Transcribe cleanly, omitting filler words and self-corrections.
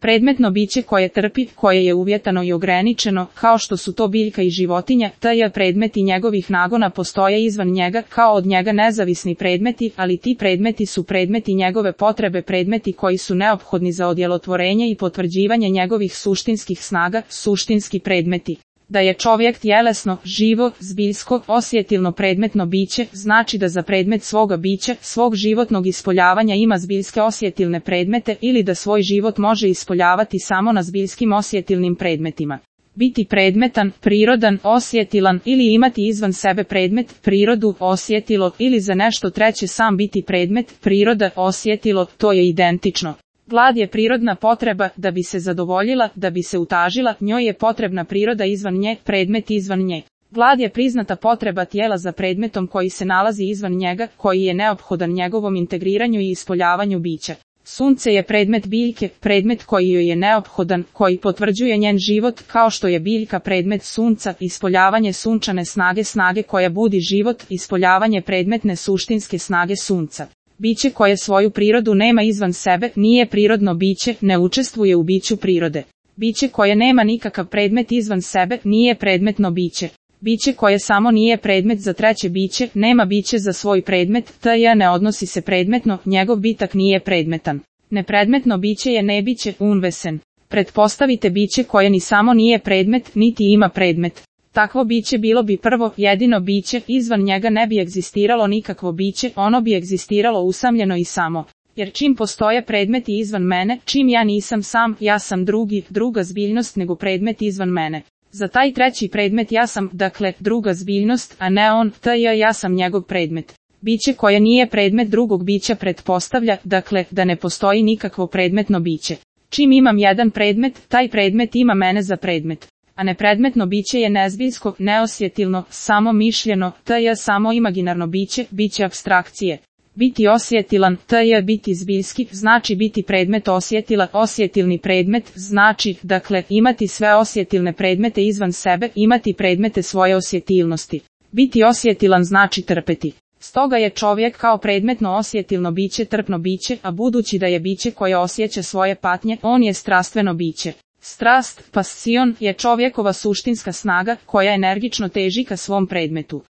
Predmetno biće koje trpi, koje je uvjetano i ograničeno, kao što su to biljka i životinja, taj predmeti njegovih nagona postoje izvan njega, kao od njega nezavisni predmeti, ali ti predmeti su predmeti njegove potrebe, predmeti koji su neophodni za odjelotvorenje i potvrđivanje njegovih suštinskih snaga, suštinski predmeti. Da je čovjek tjelesno, živo, zbiljsko, osjetilno predmetno biće, znači da za predmet svoga bića, svog životnog ispoljavanja ima zbiljske osjetilne predmete ili da svoj život može ispoljavati samo na zbiljskim osjetilnim predmetima. Biti predmetan, prirodan, osjetilan ili imati izvan sebe predmet, prirodu, osjetilo ili za nešto treće sam biti predmet, priroda, osjetilo, to je identično. Glad je prirodna potreba, da bi se zadovoljila, da bi se utažila, njoj je potrebna priroda izvan nje, predmet izvan nje. Glad je priznata potreba tijela za predmetom koji se nalazi izvan njega, koji je neophodan njegovom integriranju i ispoljavanju bića. Sunce je predmet biljke, predmet koji joj je neophodan, koji potvrđuje njen život, kao što je biljka predmet sunca, ispoljavanje sunčane snage, snage koja budi život, ispoljavanje predmetne suštinske snage sunca. Biće koje svoju prirodu nema izvan sebe, nije prirodno biće, ne učestvuje u biću prirode. Biće koje nema nikakav predmet izvan sebe, nije predmetno biće. Biće koje samo nije predmet za treće biće, nema biće za svoj predmet, taj ne odnosi se predmetno, njegov bitak nije predmetan. Nepredmetno biće je nebiće, unvesen. Pretpostavite biće koje ni samo nije predmet, niti ima predmet. Takvo biće bilo bi prvo, jedino biće, izvan njega ne bi egzistiralo nikakvo biće, ono bi egzistiralo usamljeno i samo. Jer čim postoje predmeti izvan mene, čim ja nisam sam, ja sam drugi, druga zbiljnost nego predmet izvan mene. Za taj treći predmet ja sam, dakle, druga zbiljnost, a ne on, ja sam njegov predmet. Biće koje nije predmet drugog bića pretpostavlja, dakle, da ne postoji nikakvo predmetno biće. Čim imam jedan predmet, taj predmet ima mene za predmet. A nepredmetno biće je nezbiljsko, neosjetilno, samo mišljeno, samo imaginarno biće, biće apstrakcije. Biti osjetilan, biti zbiljski, znači biti predmet osjetila, osjetilni predmet, znači, dakle, imati sve osjetilne predmete izvan sebe, imati predmete svoje osjetilnosti. Biti osjetilan znači trpeti. Stoga je čovjek kao predmetno osjetilno biće trpno biće, a budući da je biće koje osjeća svoje patnje, on je strastveno biće. Strast, passion, je čovjekova suštinska snaga, koja energično teži ka svom predmetu.